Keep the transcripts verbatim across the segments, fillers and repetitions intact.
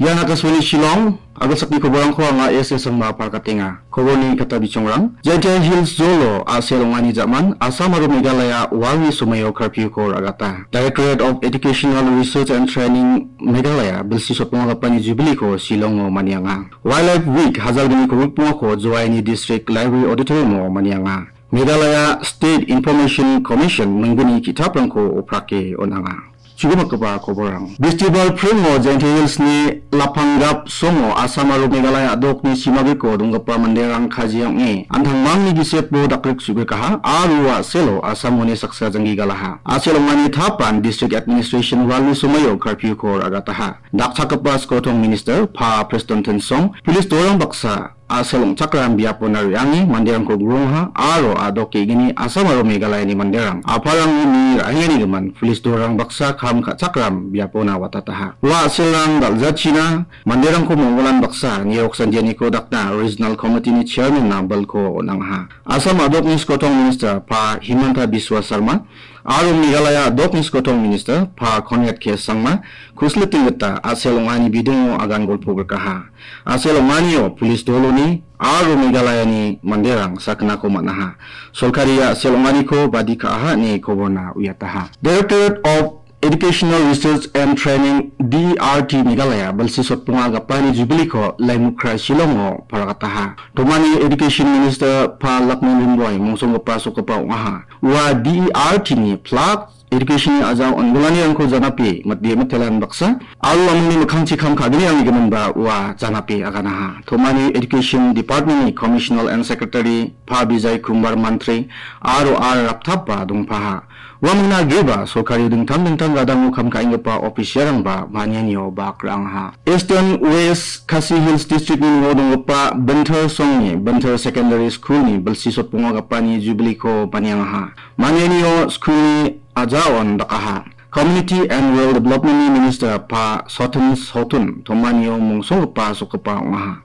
Ian Akashvani Shillong, agilsakni koborangko anga S S Sangma parkatenga. Koborni kata bichongrang. Jaintia Hills Zolo, A C L ong·ani jaman, Assam aro Meghalaya walni somoio curfew-ko ra·gata. Directorate of Educational Research and Training Meghalaya, bilsi sotbongagipani jubilee-ko Shillong-o manianga. Wildlife Week, hajalgni kogipbongako Joaini District Library Auditorium-o manianga. Meghalaya State Information Commission mingguni ki·taprangko oprake on·anga. Chugimakgipa koborang. Bestival pringo Jaintia Hills-ni Lapanggap songo Assam aro Meghalaya a·dokni simagriko donggipa manderang kajia ong·e, an·tangmangni gisepo dakrik su·grikaha, aro ua selo Assamoni saksa janggi galaha. A C L ong·ani tapan District Administration walni somoio curfew-ko ra·gataha. Dakchakgipa skotong minister Pa Preston Tynsong, police dorang baksa, A C L ong·chakram biapona re·ange manderangko grongaha aro a·dok ge·gni Assam aro Meghalayani manderang aparangni ra·enganigimin police dorang baksa kam ka·chakram biapona watataha. Ua A C L-rang dal·jachina manderangko monggolan baksa nirok sandianiko dakna Regional Committee-ni Chairman-na bilko on·angaha. Assam a·dokni skotong minister Pa Himanta Biswa Sarma aro Meghalaya a·dokni skotong minister Pa Conrad K Sangma kusliting gita A C L ong·ani bidingo agan golpo grikaha. A C L ong·anio police doloni aro Meghalayani manderang sakgnako man·aha. Sorkari A C L ong·aniko badi ka·aha ine koborna uiataha. Directorate of Educational Research and Training, D E R T, Meghalaya bilsi sotbonga gapani jubilee-ko Laimukra Shillong-o paragataha. Tomani Education Minister Pa Lakman Rimboi mongsonggipa sokgipa ong·aha. Ua D E R T-ni flag Education-ni a·jao on·gilanirangko janape mite-, mitelan baksa, aro uamangni mikkangchi kam ka·gnirangni giminba ua janape aganaha. Tomani Education Department-ni Commissioner and Secretary Pa Bijay Kumar Mantri aro R Raptapba dongpaha. Uamangna agreba sorkari dingtang dingtang gadango kam ka·enggipa official-rangba manianio bak ra·angaha. Eastern West Khasi Hills District-ni ning·o donggipa Binthar Songni Binthar Secondary School-ni bilsi sotbonga gapani jubilee-ko maniangaha. Manianio school-ni a·jaon dakaha. Community and Rural Development-ni Minister Pa Soten Sotun Tomanio mongsonggipa sokgipa ong·aha.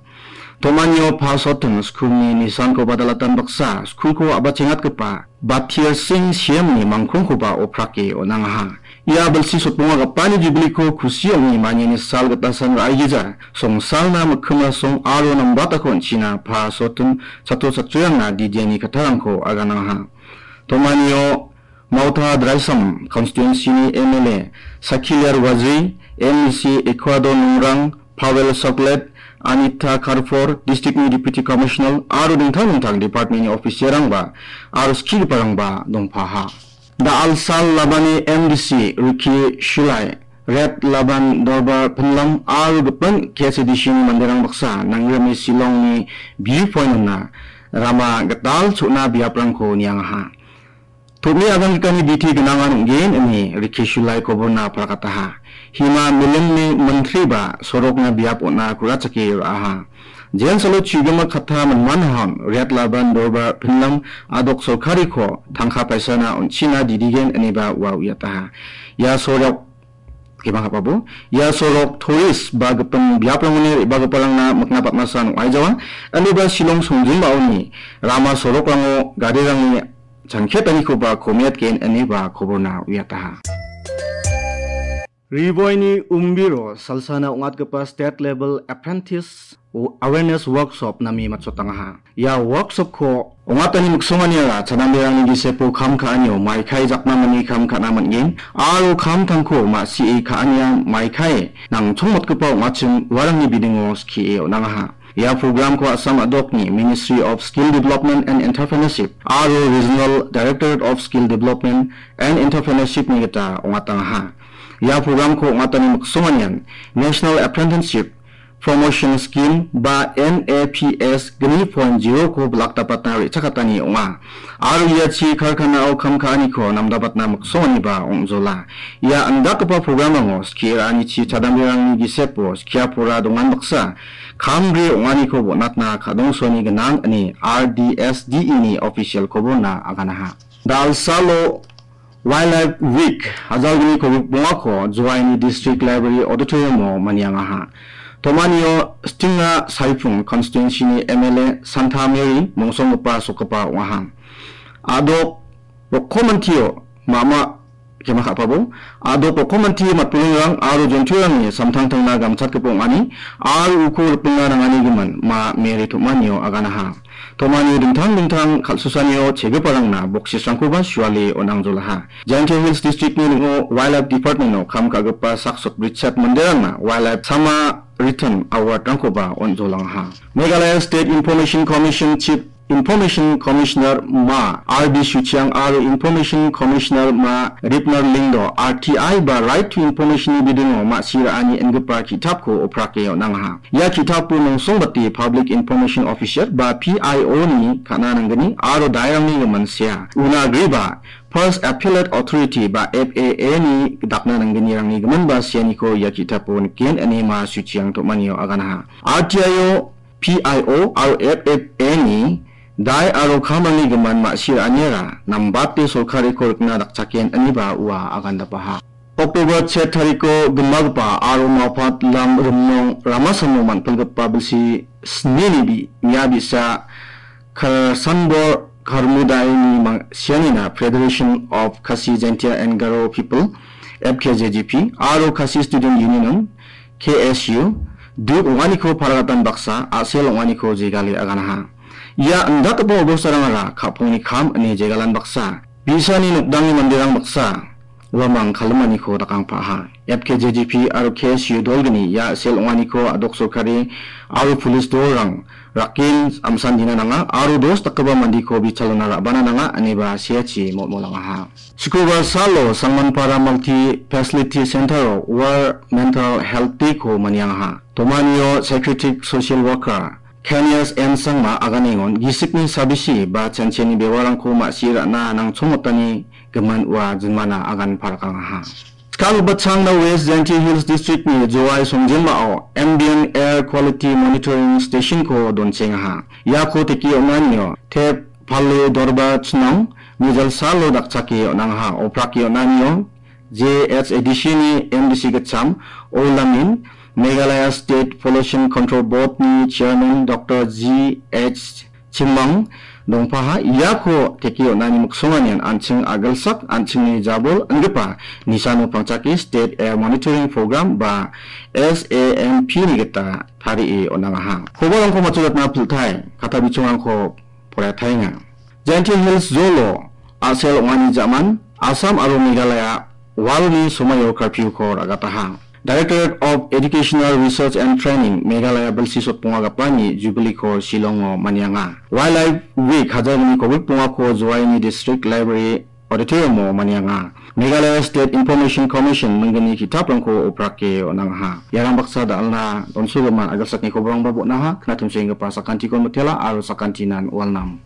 Tomanio Pa Soten school-ni nisanko badalatan baksa school-ko a·bachengatgipa Bathir Singh C M-ni mangkongkoba oprake on·angaha. Ia bilsi sotbonga gapani jubilee-ko kusi ong·e maniani sal gitasan ra·igija, songsalna mikkima song aro nambatako on·china Pa Soten chatro chatrirangna didiani kattarangko aganangaha. Tomanio Mauta Dreisam constituency-ni M L A Sakiliar Waziri, M E C Ecuador Nungrang, Pavel Soklet, Anita Karfor, district-ni Deputy Commissioner aro dingtang dingtang department-ni official-rangba aro skigiparangba dongpaha. Da·alsal labani M D C Ricky Shulai, Red Laban Dorbar Pinlam aro gipin K S A D C-ni manderang baksa nangrime Shillong-ni View Point-ona rama gital cho·na biaprangko niangaha. Tom·e agangrikani biti gnangan ong·gen ine Ricky Shulai koborna palakataha. Hima milimni mintri ba sorokna biap on·a ku·rachake ra·aha. Jensalo chigima katta minman hon Red Laban Dorbar Pinlam a·dok sorkariko tangka paisana on·china didigen ineba ua uiataha. Ia sorok Kemang ka·babo, ia sorok tourist ba gipin biaprangoni re·bagiparangna mikna patmasan ong·aijawa. Aliba Shillong songjinbaoni rama sorokrango garirangni changketanikoba komiatgen ineba koborna uiataha. Rivoini Umbiro salsana ong·atgipa State Level Apprentice Awareness Workshop name matchotangaha. Ia workshop-ko ong·atani miksonganiara chadamberangni gisepo kam ka·anio maikai jakmamani kam ka·na man·gen aro kamtangko ma·sie ka·ania maikai nangchongmotgipa ong·achim uarangni bidingo skie on·angaha. Ia program-ko Assam a·dokni Ministry of Skill Development and Entrepreneurship aro Regional Directorate of Skill Development and Entrepreneurship-ni gita ong·atangaha. Ia program-ko ong·atani miksonganian National Apprenticeship Promotion Scheme ba N A P S gni point zero-ko bilakdapatna re·chakatani ong·a. Aro iachi karkanao kam ka·aniko namdabatna miksonganiba ong·jola. Ia andakgipa programrango skie ra·anichi chadamberangni gisepo skia pora dongan baksa kamri ong·aniko bon·atna kadongsoani gnang ine R D S D E-ni official koborna aganaha. Dalsalo Wildlife Week hajalgni kogik bongako Joaini District Library Auditorium-o maniangaha. Tomanio Stingra Saipung constituency-ni M L A Santa Mary mongsonggipa sokgipa ong·aha. A·dok Rokkomantio mama Jema ka·pabo, a·dok rokkomanti matburingrang aro jonturangni samtangtangna gamchatgipa ong·ani aro uko ripengna nangani gimin ma Mary Tom·anio aganaha. Tom·anio dingtang dingtang kal·susanio chegiparangna boksisrangkoba suale on·angjolaha. Jaintia Hills District-ni ning·o Wildlife Department-o kam ka·gipa sak sotbritchet manderangna Wildlife Sama Return Award-rangkoba on·jolangaha. Meghalaya State Information Commission Chief Information Commissioner ma R B Suchiang aro Information Commissioner ma Ripner Lyngdoh R T I ba Right to Information-ni bidingo ma·si ra·ani ingipa ki·tapko oprake on·angaha. Ia ki·tapo nongsongbate Public Information Officer ba P I O-ni ka·na nanggni aro dairangni gimin sea. Una agreba First Appellate Authority ba F A A-ni dakna nanggnirangni gimin ba seaniko ia ki·tapo niken ine ma Suchiang Tom·anio aganaha. R T I-o P I O aro F F A-ni dai aro kamrangni gimin ma·si ra·aniara nambate sorkariko rikna dakchaken ineba ua agandapaha. October chet tariko gimbagipa aro Mawphat Lam Rimnong Ramasamo man·pilgipa bilsi snini bi-, mia bi·sa Karsanbor Karmudaini mang-, sianina Federation of Khasi Jaintia and Garo People, F K J G P, aro Khasi Student Union, K S U, duk ong·aniko paragatan baksa, a·sel ong·aniko jegale aganaha. Ia indakgipa obostarangara ka·pongni kam ine jegalan baksa, bi·sani nokdangni manderang baksa, uamang kalimaniko dakangpaha. F K J G P aro K S U dolgni ia a·sel ong·aniko a·dok sorkari aro pulis dolrang raken amsan dina nanga aro dos dakgipa mandiko bichalona ra·bana nanga ineba seachi mol·molangaha. Sikubar salo Sangmanpara Multi Facility Center-o World Mental Health Day-ko maniangaha. Tom·anio Psychiatric Social Worker Kenias N Sangma aganengon gisikni sabisi ba chancheni bewarangko ma·si ra·na nangchongmotani gimin ua jinmana agan parakangaha. Skang bachangna West Jaintia Hills District-ni Jowai Songjinmao Ambient Air Quality Monitoring Station-ko donchengaha. Iako teke on·anio Tep Pale Dorba Chnong, Mijal Salo dakchake on·angaha. Oprake on·anio J H A D C-ni M D C gitcham Olamin, Meghalaya State Pollution Control Board-ni Chairman Doctor G H Chimang dongpaha. Iako teke on·ani miksonganian an·ching a·gilsak an·chingni jabol ingipa nisano pangchake State Air Monitoring Program ba S A M P-ni gita tarie on·angaha. Kobarangko matchotna piltai, kata bichongrangko poraiataenga. Jaintia Hills Zolo a·sel ong·ani ja·man, Assam aro Meghalaya walni somaio curfew-ko ra·gataha. Directorate of Educational Research and Training Meghalaya bilsi sotbonga gapani Jubilee-ko Shillong-o manianga. Wildlife Week hajar gni kobik bongako Jowaini District Library Auditorium-o manianga. Meghalaya State Information Commission minggni ki·taprangko oprake on·angaha. Iarang baksa da·alna donsogimin a·gilsakni koborangba bon·aha, knatimsenggipa sakantiko mitela aro sakantinan walnam.